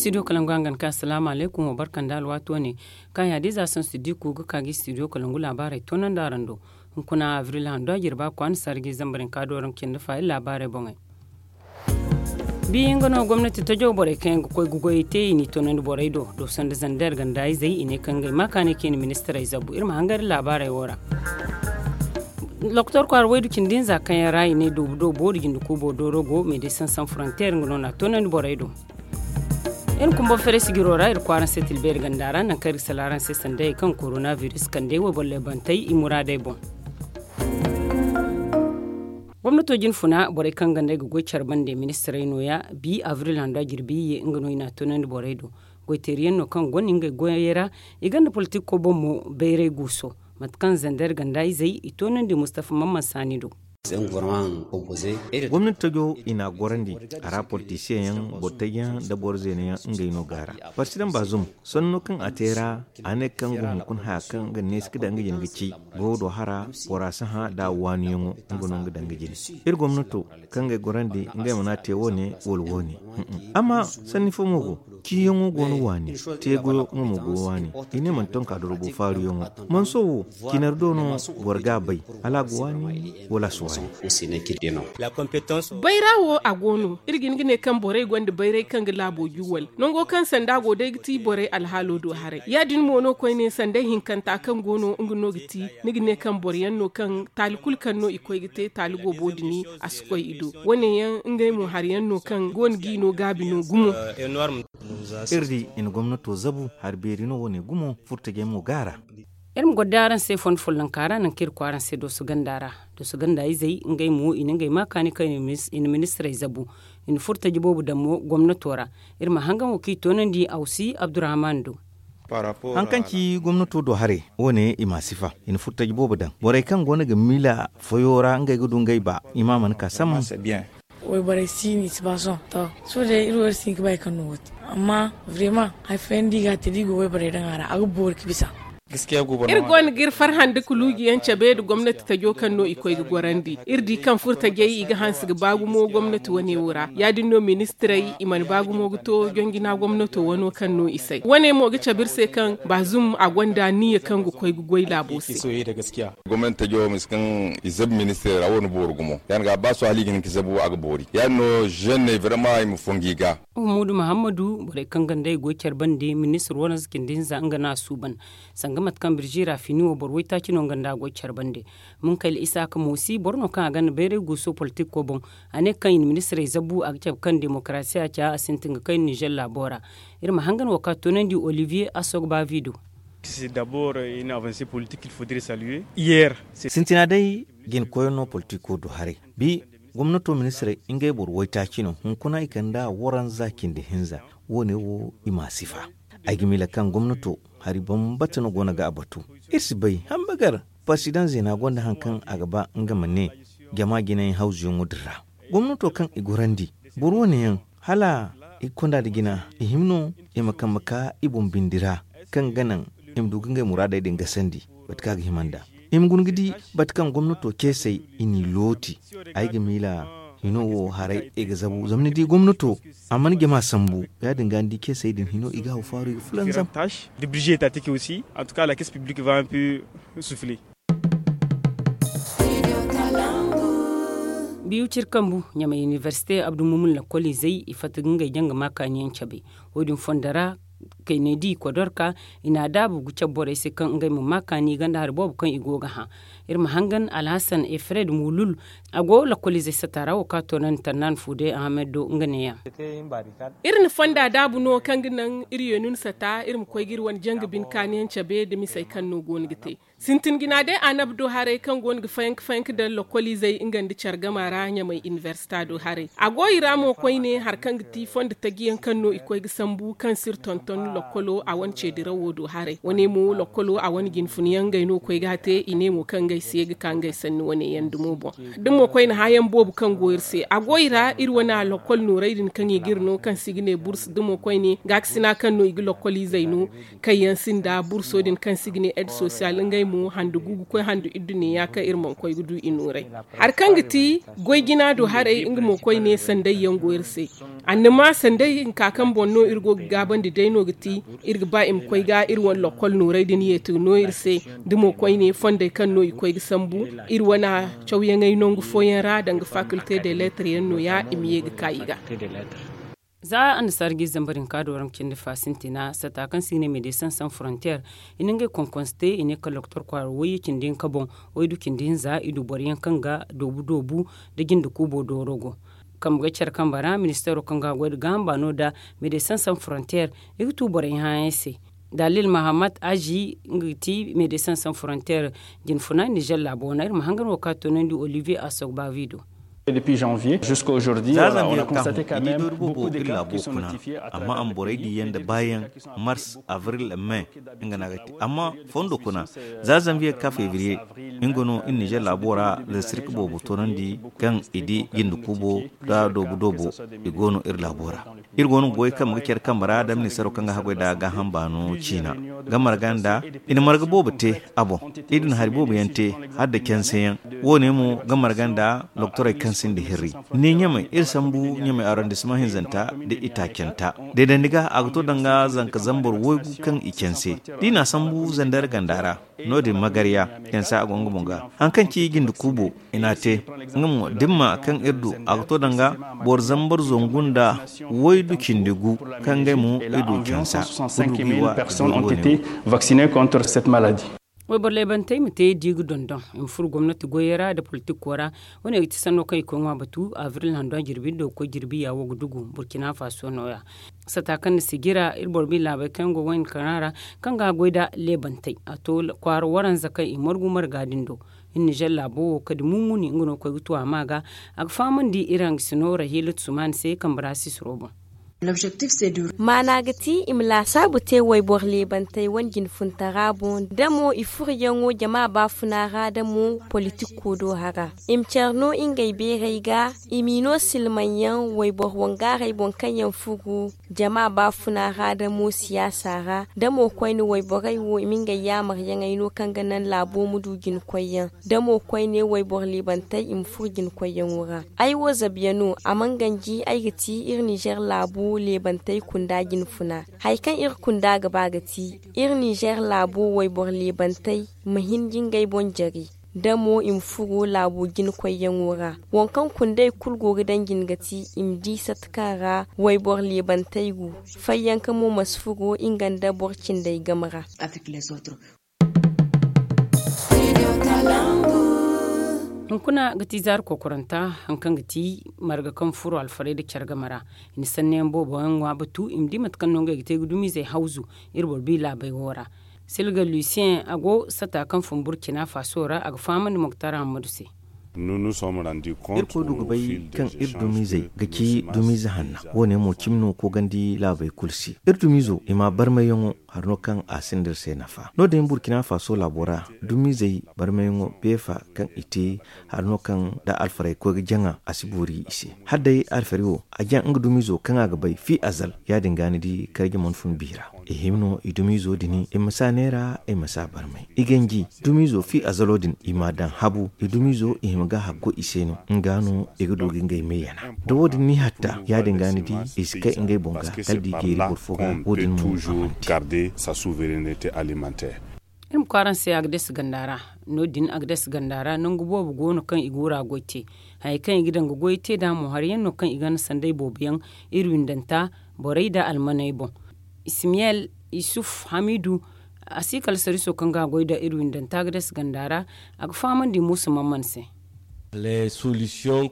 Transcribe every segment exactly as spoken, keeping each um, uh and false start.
Studio kalangu hangan ka asalaamu alaykum wa barka nda alwaati wane. Kaŋ yaadiiza sansu diku ga ka ga studio kalangu laabaarey toonandi araŋ do. Hunkuna avril hando a jirba kwaana sarji zambarin ka dooraŋ cindi fa iri laabaarey boŋey. Bi nga no gomnati tajo borey kaŋ yaŋ ga koy ga goyey te i n'i toonandi borey do do sanda zander ganda izey i ne kaŋ ngey ma kaanay kaŋ i na ministirey zabu iri ma hangan iri laabaarey wo ra. Doktor kwaara waydu cindi hinza kaŋ yaŋ ra i ne doobu doobu boori jinde kuubo dooro go meeday sansan frontier nga no na a toonandi borey do. Iri kumba fere sigiro ra iri kwaaraŋ se tilbeeri ganda ra nangu kaŋ iri ga sala araŋ se sanda hari kaŋ korona virus kande wayborley bantey i muraadey boŋ. Gomnato jine funa borey kaŋ ganda i ga goy care bande ministirey nooya bi avril hando a jirbi iyye nga no i na a toonandi borey do. Goyteeriyaŋ no kaŋ gonda ngey goyey ra i gonda politiko boŋ mo bayray guuso mate kaŋ zander ganda izey i toonandi mustafa mamman saani do. Gomnati tajo i n'a gorandi a ra politisiyeŋ yaŋ boro taji yaŋ nda boro zeena yaŋ ngey no go a ra. Parsidaŋ baazum sanno kaŋ a te ra a ne kaŋ ga hunkuna haya kaŋ ga neesi ga daŋ ga jine ga ci goyo do hara bora si hã nda a waaniyaŋo. Nga no nga daŋ ga jine iri gomnato kaŋ ga ay gorandi ngey mana te wo- ne wala wo- ne. Amma sanni fo mo go ciyaŋo go no waani. Te goyo nga mo go waani i ne mana tonka dorogo faaruyaŋo. Manso wo cinar do no boro ga a bay hala a ga waani wala a si waani. Bayra wo a go no iri ga hin ga ne kaŋ borey gonda bayray kaŋ ga laabo juwal nango kaŋ sanda go day ga ti borey alhaalo do haray ya- din mo no koyne sanda hinkanta kaŋ go no nga no ga ti ni ga ne kaŋ boro yaŋ no kaŋ taali kulu kaŋ no i koy ga te taali goobo din a si koy i do. Wo- ne yaŋ ngey mo hari yaŋ no kaŋ go no ga i no gaabi no gumo. Iri di i na gomnato zabu hari beeri no wo- ne gumo furtajey mo go a ra. Iri ma goro day araŋ se fondo follonka ra nangu kaŋ iri koy araŋ se dooso ganda ra. Dooso ganda izey ngey mo i na ngey ma kaani kaŋ i na ministirey zabu i na furtaji boobo daŋ mo gomnato ra. Iri ma hangan wo kaŋ i toonandi awsi abdurrahman do. Haŋ kaŋ ci gomnato do haray wo- ne i ma a sifa i na furtaji boobo daŋ borey kaŋ go no ga miila foyo ra ngey ga du ngey ba i ma a mana ka sambu. Wayborey si ni si ba sohõ to. Sohõ day iri wo iri si hin ga ba hari kaŋ no wo- te amma vrema hari fooyaŋ da i ga a te da i go wayborey daŋ a ra a ga boori ga bisa. Iri go no ga iri farhandi ga luujiyaŋ cabe nda gomnati tajo kaŋ no i koy ga gorandi iri di kaŋ furtajey i ga hanse ga ba gumo gomnati wane wo ra ya- din no ministirey i mana ba gumo ga to jonjina gomnato wano kaŋ no i say wane mo ga cabe iri se kaŋ baazum a gonda niyya kaŋ ga koy ga goy laabo se. Gomnati tajo misa kaŋ i zabi ministirey ra wo na boori gumo ya- din ga ba sohõ hala i ga hin ga zabu a ga boori ya- din no zenne vrema i ma fongu i ga. Hummadu muhammadu borey kaŋ ganda i goy care bande ministir waranza cindi hinza nga no a suuban sanga mate kaŋ birji ra fini wo boro waytaaci no nga nda a goy care bande. Munkayla isaaka moosi boro no kaŋ a ganda bayray guuso politiko boŋ. A ne kaŋ i na ministirey zabu a ga cabe kaŋ demokarasiya ca a sintin ga kay nizer laabo ra. Iri ma hangan wo kaŋ a toonandi olivier asogba vido. Sintina day jina koyyaŋ no politiko do haray bi gomnato ministirey ngey boro waytaaci no hunkuna i kande a waranza cindi hinza. Wo- ne wo i ma a sifa ay ga miila kaŋ gomnato hari bambata no go no ga a batu. Iri si bay hamba gar parsidaŋ zeena gonda hari kaŋ a ga ba nga ma ne jama jinayaŋ hawzuyaŋo din ra. Gomnato kaŋ i gorandi boro wo- ne yaŋ hala i ga konda nda jina i hima no i ma kambe ka i boŋ bindi ra kaŋ ga naŋ i ma du ga ngey muraadey din gasandi. Mate kaŋ a ga hima nd'a i ma guna ga di mate kaŋ gomnato ceesey i n'i looti. Ay ga miila hino wo haray i ga zabu zama ni di gomnato a mana jama sambu ya- din ga ni di ceesey din hino i ga haw faaru i ga fulanzam. Biyu ciri kambu ɲamay inibersite abdu mumun lakkol izey i fatta ga ngey jaŋ ga ma kaaniyaŋ cabe. Wo- din fondo ra kayne di kodorka i na a daabu ga cabe borey se kaŋ ngey ma ma kaani ganda hari boobo kaŋ i go ga hã. Iri ma hangan alhasan efred mulul a go lakkol izey sata ra wo kaŋ a toonandi tannan fuude ahamed do nga neeyaŋ. Iri na fonda daabu no kaŋ ga naŋ iri ye no ni sata iri ma koy ga iri wane janga bine kaaniyaŋ cabe nda misey kaŋ no go no ga te. Sintin jina day annabi do haray kaŋ go no ga fayanka fayanka daŋ lokoliizey nga nda care gama ra ɲamay inibersita do haray a go i ra mo koyne hari kaŋ ga ti fondo taji yaŋ kaŋ no i koy ga sambu kaŋ si iri tonton. Lokkolo a wane ce dirawo do haray wane mo lokkolo a wane jinfun yaŋ ngey no koy ga a te i ne mo kaŋ ngey se ga ka ngey sanni wane yaŋ dumo boŋ. Da mo koyne hã yaŋ boobo kaŋ go iri se a go i ra iri wane lokkol nooray din kaŋ i ga iri no kaŋ se i ga ne burs da mo koyne gaakasina kaŋ no i ga lokkol izey no, kaŋ yaŋ sinda burso din kaŋ se i ga ne ed sosiyal ngey mo hande gu ga koy hande iddu ne ya kaŋ iri mana koy ga du i nooray. Hari kaŋ ga ti goy jina do haray nga mo koyne sanday yaŋ go iri se. Annama sanday hinka kaŋ boŋ no iri go ga gaabandi day no ga ti iri ga ba i ma koy ga iri wane lokkol nooray din yeeti ga no iri se. Da mo koyne fondey kaŋ no i koy ga sambu iri wane cawyaŋey nangu fooyaŋ ra danga fakilte de leetar yaŋ no- ya i ma ye ga ka i ga. Za annasaara ga i zambar hinka do ra nga cindi fa sintina sata kaŋ se i ga ne medesin san frontier i na ngey konkonse te i ne kala doktor kwaara wayye cindi hinka boŋ. Waydu cindi hinza i du boro yaŋ kaŋ ga doobu doobu nda jinde kuubo dooro go. Kambe ga care kambe ra ministeero kaŋ ga a goy nda gaaham baano nda medesin san frontier i ga tu borey hããyaŋ se. Dalil mahamat azi nga ga ti medesin san frontier jinfuna nizer laabo wane iri ma hangan wo kaŋ a toonandi olivier asogbavi do. Za zanviye ga ka hõ i di doori boobo iri laabo kuna. Amma a ma borey diiyaŋ nda baayaŋ mars avril me. Nga no a ga te amma fondo kuna za zanviye ga ka febriye. Nga no iri nizer laabo ra da sirka boobo toonandi kaŋ i di jinde kuubo nda doobu doobo. I go no iri laabo ra iri go no ga goy kambe ga care kambe ra da ministeero kaŋ ga haggoy nda gaaham baano ciina ga marga nda i na marga boobo te a boŋ. Iri na hari boobo yaŋ te hala nda canse yaŋ wo- ne mo ga marga nda doktorey kaŋ sinda hirri ne ɲamey iri sambu ɲamey arrondissement hinzanta nda itaacanta. Deedandi ga a ga to danga zanka zambar waygu kaŋ i canse da i na a sambu zandar ganda ra. No- din magarya cansa a go nga boŋ ga haŋ kaŋ ci jinde kuubo i n'a te. Nga mo dimma kaŋ iri du a ga to danga boro zambar zangu nda waydu cindi gu kaŋ ngey mo iri du cansa. Ga du ga i wa ga du ga wane wo. Vaccine contre cette maladie. Wayboro laybantey ma te da i ga dondon i ma furo gomnati goyey ra nda politikko ra. Wane ga ti sanno kaŋ i koy ŋwa batu avril hando a jirbi nda ga koy jirbi ya wo ga dugu burkina faso no- ya. Sata kaŋ na sijira iri boro ma i laabey kaŋ yaŋ go wayne kana ra kaŋ ga a goy nda leebantey a to kwaara waranza kaŋ i margu marga din do. Iri nizer laabo wo kadi mumuni nga no ga koy ga tu a ma ga a ga fahamandi iri hangasino rahiilatu sumaani se kambe ra sisiro boŋ. Maana ga ti i ma laasaabu te wayboro leebantey wane jinfuntara boŋ da mo i furuyaŋo jama baafuna ra da mo politikko do hara. I ma care no ngey beerey ga i m'i no silmaŋ yaŋ wayboro wangaaray boŋ kaŋ yaŋ furu jama baafuna ra da mo siyaasa ra da mo koyne wayborey wo i ma ngey yaamaryaŋey no kaŋ ga naŋ laabo ma du jinkoyyaŋ da mo koyne wayboro leebantey i ma furo jinkoyyaŋo ra. Ay wo zabiya no a mana ganji ay ga ti iri nizer laabu leebantey kunda jinfuna. Hari kaŋ iri kunda ga ba ga ti iri nizer laabu wayboro leebantey ma hin ga ngey boŋ jare da mo i ma furo laabo jinkoyyaŋo ra. Waŋ kaŋ kundey kulu go ga daŋ jin ga ti i ma di sata kaŋ ra wayboro leebantey go. Fayyanka mo ma si furo nga nda boro cindey game ra. Hunkuna ga ti zaari kokoranta hari kaŋ ga ti marga kaŋ furo alfarey nda care game ra. I na sanniyaŋ boobo yaŋ ŋwa batu i ma di mate kaŋ no ngey ga te ga dumizey hawzu iri boro bi laabey wo ra. Silga lucien a go sata kaŋ fun burkina faso ra a ga fahamandi moktar hammadu se. Iri koy du ga bay kaŋ iri dumizey ga ci dumize hanna. Wo- ne mo cimi no koogandi laabey kulu se iri dumizo i ma barmayyaŋo hari no kaŋ a sinda iri se nafa no- din burkina faso laabo ra. Dumizey barmayyaŋo beefa kaŋ i te hari no kaŋ da alfarey koy ga jaŋa a si boori i se. Hala day alfari wo a jaŋ nga dumizo kaŋ a ga bay fi azal ya- din ga ni di karji mana fun biira. I hima no i dumizo din i ma si a neera i ma si a barmay i ganji. Dumizo fi azalo din i m'a daŋ habu i dumizo i hima ga haggo i se no nga no i ga du ga ngey me yana. Da wo- din ni hatta ya- din ga ni di i si kay ngey boŋ ga kala da i jeeri boro fo ga wo- din mo a mana te. Iri ma kwaara araŋ se agades ganda ra. No- din agades ganda ra nangu boobo go no kaŋ i ga wura goy te. Hayey kaŋ i ga daŋ ga goy te nd'a mo hari yaŋ no kaŋ i gana sanday boobo yaŋ iri windanta borey nda almaney boŋ. Ismiyel isuf hamidu a si kala sariso kaŋ ga a goy nda iri windanta agades ganda ra. A ga fahamandi muusa mamman se.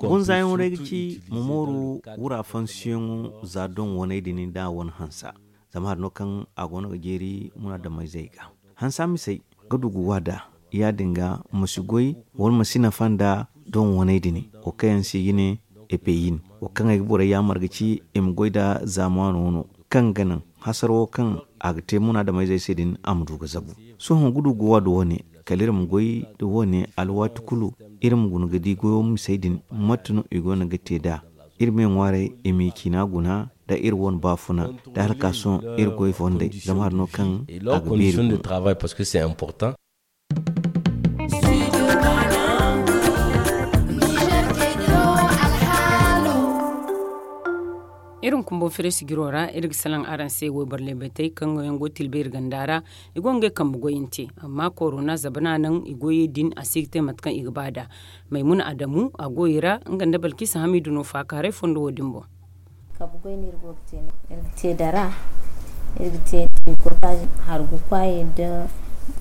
Gunzayaŋo day ga ci ma mooru wura fansiyaŋo za doŋ waney din nda a wane hansa. Zama hari no kaŋ a go no ga jeeri munaadamayzey ga hansa misey ga du ga waada. Ya- din ga ma si goy wala ma si nafa nda doŋ waney din wo kaŋ yaŋ se i ga ne epeyin wo kaŋ ay ga borey yaamar ga ci i ma goy nda zaamaano no kaŋ ga naŋ hasaro wo kaŋ a ga te munaadamayzey se din a ma du ga zabu. Sohõ gudu ga waadu wane kala iri ma goy nda wane alwaati kulu, iri ma guna ga di goyo misey din mate no i go no ga te nd'a. Iri me ŋwaaray i ma i ciina guna nda iri wane baafuna nda hala ka sohõ iri goy fondey, zama hari no kaŋ a ga beeri guna. Iri ma kumbaŋ fere sijiro ra iri ga salaŋ araŋ se wayboro leebatey kaŋ yaŋ go tilbeeri ganda ra. I go ngey kambe goyante amma korona zabana naŋ i goyey din a si ga te mate kaŋ i ga ba nd'a. Maymuna adamu a go i ra nga nda balkisa hamidu no faakaaray fondo wo- din boŋ. Kabu goy no iri go ga te ne iri ga te dara, iri ga te trikotaaz, hargu kwaayi nda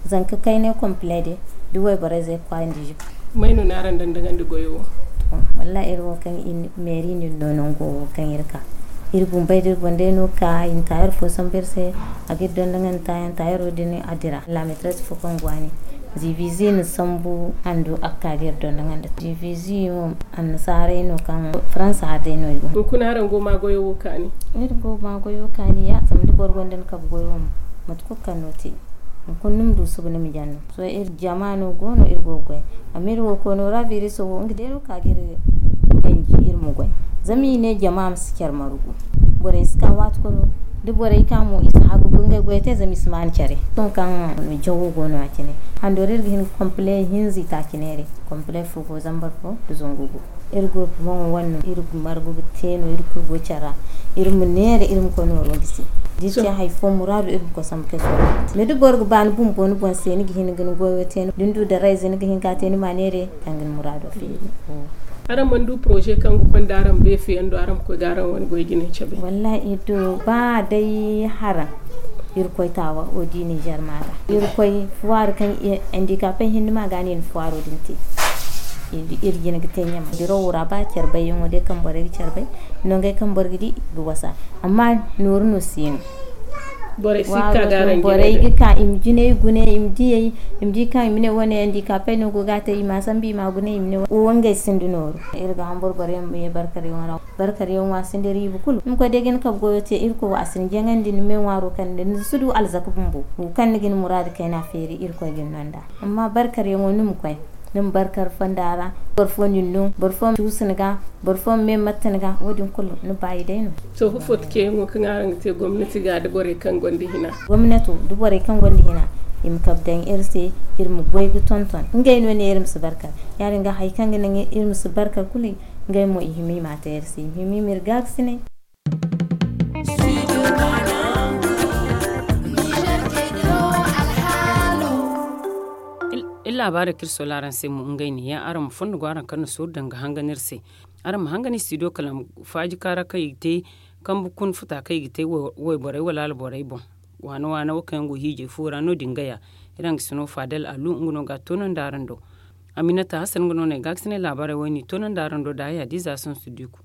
zanka kaynay kompile day, da wayborey zey kwaayi nda jibo. May no ni araŋ dandagandi goyo wo? Wallaahi iri wo kaŋ meeri no no nango wo kaŋ iri ka, iri bumbey da iri boŋ day no ka i na taayar fo sambu iri se. A ga iri dondonandi taayaŋ taayaro din a dira laametres fo kaŋ go a ne, divizi na sambu handu a ga ka ga iri dondonandi divizi wo. Annasaarey no kaŋ faransa hari day no i go. Hunkuna araŋ go ma goyo wo kaani? Iri go ma goyo kaani ya zama da boro gonda ni kabe goyo mo, mate kulu kaŋ no te, hunkuna ni ma du suba ni ma jaŋ no. Sohõ iri jama no go no iri go ga goy. Amma iri wo koono ra biriso wo nga day no ka ga iri ganji iri ma goy. Zama i ne jama ma si care margu. Borey si ka waati kulu, da borey ka mo i si hagu ga ngey goy te zama i si maan care. Sohõ kaŋ jawo go no ya cine, hando ra iri ga hin ga kompile hinza i taaci neeray. Kompile fo go zambar fo nda zangu gu. Iri gurpu boŋo wane no iri ga margu ga te no iri kulu go care ra. Iri ma neera iri ma koy nooro gisi. Da iri te hari fo muraadu iri ma koy sambu kay sorro. Mais da boro ga ba ni bumbo ni boŋ se ni ga hin ga ni goyo te no da ni du darayze ni ga hin ka te ni ma neera kaŋ ga ni muraado feeri. Araŋ mana du poroze kaŋ ga konda araŋ beefe yaŋ do araŋ ma koy ga araŋ wane goy jinay cabe? Wallaahi iri du ba day haraŋ. Iri koy taawa wo di ninzeer ma ga iri koy fuwaari kaŋ andikapey hinne ma ga no i na fuwaaro din te. Iri jina ga te ɲama dirawo ra ba care bayyaŋo day kaŋ borey ga care bay. Nongey kaŋ boro ga di ga wasa. Amma nooru no si no. Borey ga ka i ma jinay gune i ma diyey i ma di kaŋ i ma ne wane andikapey no go ga a te i ma a sambu i ma a gune i ma ne wo ngey sinda nooru. Iri ga hamburu borey ma ye barkaryaŋo ra. Barkaryaŋo a sinda riiba kulu ni ma koy day ga ni kabe goyo te irkoy wo a si ni jaŋandi ni me ŋwaaro kande ni si du alzaka bumbo wo kaŋ ni ga ni muraadu kayna feeri irkoy ga ni no nd'a. Amma barkaryaŋo ni ma koy ni ma barkar fonda ra. Boro fo na ni no boro fo ma cuusu ni ga. Boro fo ma me matta ni ga wo- din kulu ni baayi day no. To ifo ti ceeyaŋo kaŋ araŋ ga te gomnati ga da borey kaŋ gonda hina? Gomnato da borey kaŋ gonda hina i ma kabe daŋ iri se. Iri ma goy ga tonton ngey no ne iri ma si barkar. Ya- din ga hari kaŋ ga naŋ iri ma si barkar kulu ngey mo i hima i ma a te iri se i ma hima i ma iri gaakasinay. Iri laabaarey kaŋ iri soola araŋ se mo ngey ne ya araŋ ma fondo go araŋ kaŋ na sooru daŋ ga hangan iri se. Araŋ ma hangan istidiyo kala faaji kaara kaŋ i ga te kambe kuna futa kaŋ i ga te wayborey wala alborey boŋ. Waana waana wo kaŋ yaŋ go hiijay fo ra no- din ga ya. Iri hangasino faadal alu nga no ga a toonandi araŋ do. Aminata hasan nga no no ay gaakasinay laabaarey wo ay n'i toonandi araŋ do da haya diiza sonsu diiku.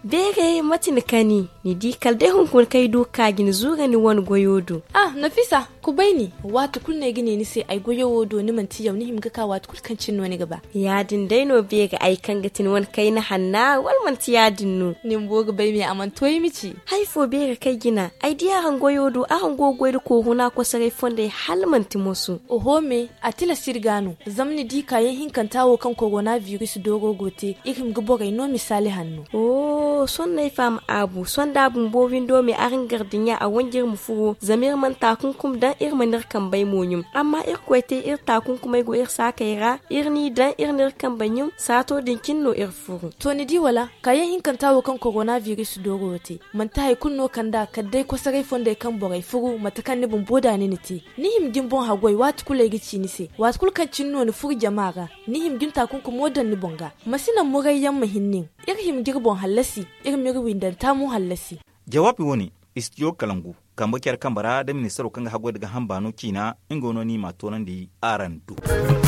Beeray mate ni kani ni di kala day hunkuna kaŋ ay du ga ka ga ni zuura ni wane goyo do. Ah nafisa, kubay ni waati kulu no ay ga ne ni se ay goyo wo do ni manti yaw ni hima ga ka waati kulu kaŋ cine no ni ga ba. Ya- din day no beeray ay kaŋ ga ti ni wane kayna hanna wala manti ya- din no? Ni bumbo ga bay me a mana to ay ma ci. Hari fo beeray kaŋ ay jina ay di araŋ goyo do araŋ go ga goy nda kooruna kosoray fondey hala manti moso. Oho me, a tilas iri ga no zama ni di kaayaŋ hinkanta wo kaŋ korona biris dooro go te iri hima ga borey no misaali hanno. Sohõ no ay faham aabu sohõ da a bumbo windo me araŋ gar dinya a wanji iri ma furo zama iri mana taakunkum daŋ iri mana iri kambey mo ɲum. Amma irkoy te iri taakunkumey go iri saakey ra iri n'i daŋ iri n'iri kambey ɲum saato din cine no iri furu. To ni di wala kaayaŋ hinkanta wo kaŋ korona biris dooro te manti hari kulu no kand'a kala day kosoray fondey kaŋ borey furu mate kaŋ ni bumbo da ni na te. Ni hima ga ni boŋ haggoy waati kulu ay ga ci ni se waati kulu kaŋ cine no ni furo jama ra. Ni hima ga ni taakunkumo daŋ ni boŋ ga. Ma si naŋ murayyaŋ ma hin nin. Iri hima ga iri boŋ hallasi. Iri ma iri windanta mo hallasi. Jawaabi wane istidiyo kalangu kambe care kambe ra da ministaro kaŋ ga haggoy nda gaaham baano ciina nga no no ni m'a toonandi araŋ do.